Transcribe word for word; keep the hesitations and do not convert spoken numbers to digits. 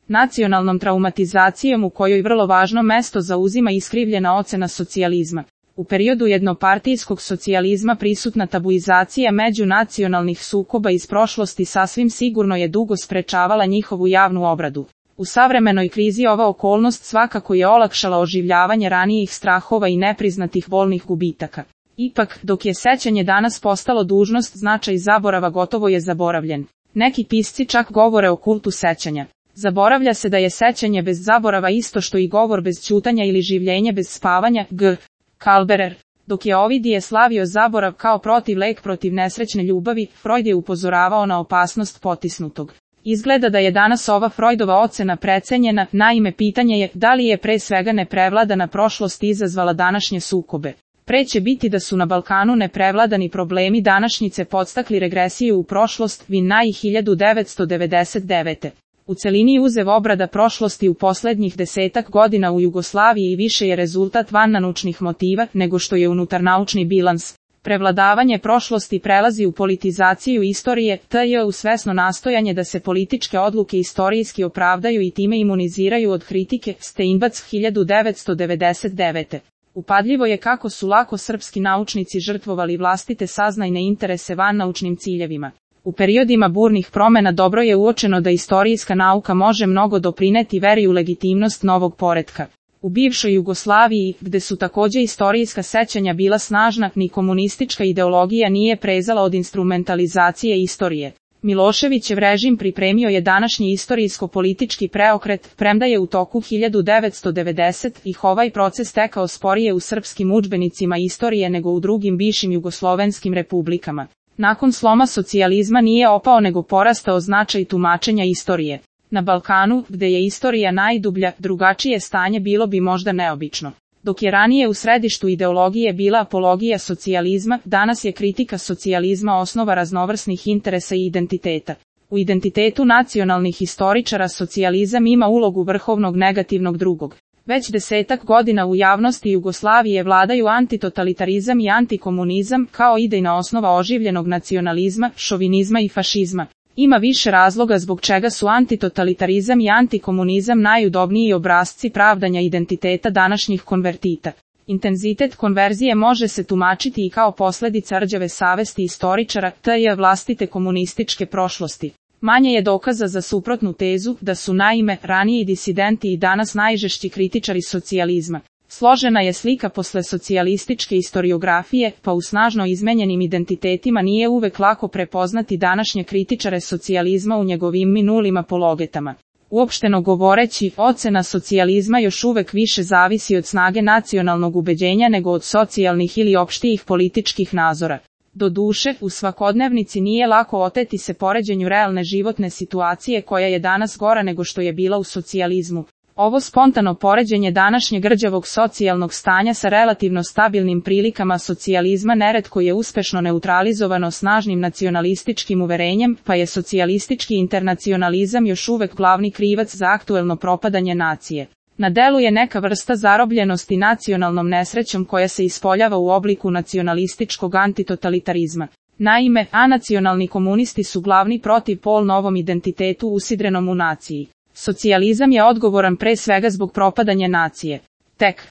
nacionalnom traumatizacijom u kojoj vrlo važno mesto zauzima iskrivljena ocena socijalizma. U periodu jednopartijskog socijalizma prisutna tabuizacija međunacionalnih sukoba iz prošlosti sasvim sigurno je dugo sprečavala njihovu javnu obradu. U savremenoj krizi ova okolnost svakako je olakšala oživljavanje ranijih strahova i nepriznatih bolnih gubitaka. Ipak, dok je sećanje danas postalo dužnost, značaj zaborava gotovo je zaboravljen. Neki pisci čak govore o kultu sećanja. Zaboravlja se da je sećanje bez zaborava isto što i govor bez ćutanja ili življenje bez spavanja. G. Kalberer. Dok je Ovidije slavio zaborav kao protivlek protiv nesrećne ljubavi, Freud je upozoravao na opasnost potisnutog. Izgleda da je danas ova Freudova ocena precenjena, naime pitanje je da li je pre svega neprevladana prošlost izazvala današnje sukobe. Pre će biti da su na Balkanu neprevladani problemi današnjice podstakli regresiju u prošlost, Vinaj hiljadu devetsto devedeset devete. U celini uzev obrada prošlosti u poslednjih desetak godina u Jugoslaviji više je rezultat vannaučnih motiva nego što je unutarnaučni bilans. Prevladavanje prošlosti prelazi u politizaciju istorije, tj. u svesno nastojanje da se političke odluke istorijski opravdaju i time imuniziraju od kritike, Steinbac hiljadu devetsto devedeset devete. Upadljivo je kako su lako srpski naučnici žrtvovali vlastite saznajne interese vannaučnim ciljevima. U periodima burnih promena dobro je uočeno da istorijska nauka može mnogo doprineti veri u legitimnost novog poretka. U bivšoj Jugoslaviji, gde su takođe istorijska sećanja bila snažna, ni komunistička ideologija nije prezala od instrumentalizacije istorije. Miloševićev režim pripremio je današnji istorijsko-politički preokret, premda je u toku hiljadu devetsto devedesetih ovaj proces tekao sporije u srpskim udžbenicima istorije nego u drugim bivšim jugoslovenskim republikama. Nakon sloma socijalizma nije opao nego porastao značaj tumačenja istorije. Na Balkanu, gde je istorija najdublja, drugačije stanje bilo bi možda neobično. Dok je ranije u središtu ideologije bila apologija socijalizma, danas je kritika socijalizma osnova raznovrsnih interesa i identiteta. U identitetu nacionalnih istoričara socijalizam ima ulogu vrhovnog negativnog drugog. Već desetak godina u javnosti Jugoslavije vladaju antitotalitarizam i antikomunizam kao idejna osnova oživljenog nacionalizma, šovinizma i fašizma. Ima više razloga zbog čega su antitotalitarizam i antikomunizam najudobniji obrasci pravdanja identiteta današnjih konvertita. Intenzitet konverzije može se tumačiti i kao posljedica rđave savesti istoričara, tj. vlastite komunističke prošlosti. Manje je dokaza za suprotnu tezu da su naime raniji disidenti i danas najžešći kritičari socijalizma. Složena je slika posle socijalističke istoriografije, pa u snažno izmenjenim identitetima nije uvek lako prepoznati današnje kritičare socijalizma u njegovim minulim apologetama. Uopšteno govoreći, ocena socijalizma još uvek više zavisi od snage nacionalnog ubeđenja nego od socijalnih ili opštijih političkih nazora. Doduše, u svakodnevnici nije lako oteti se poređenju realne životne situacije koja je danas gora nego što je bila u socijalizmu. Ovo spontano poređenje današnjeg rđavog socijalnog stanja sa relativno stabilnim prilikama socijalizma neretko je uspešno neutralizovano snažnim nacionalističkim uverenjem, pa je socijalistički internacionalizam još uvek glavni krivac za aktuelno propadanje nacije. Na delu je neka vrsta zarobljenosti nacionalnom nesrećom koja se ispoljava u obliku nacionalističkog antitotalitarizma. Naime, anacionalni komunisti su glavni protivpol novom identitetu usidrenom u naciji. Socijalizam je odgovoran pre svega zbog propadanja nacije. Tek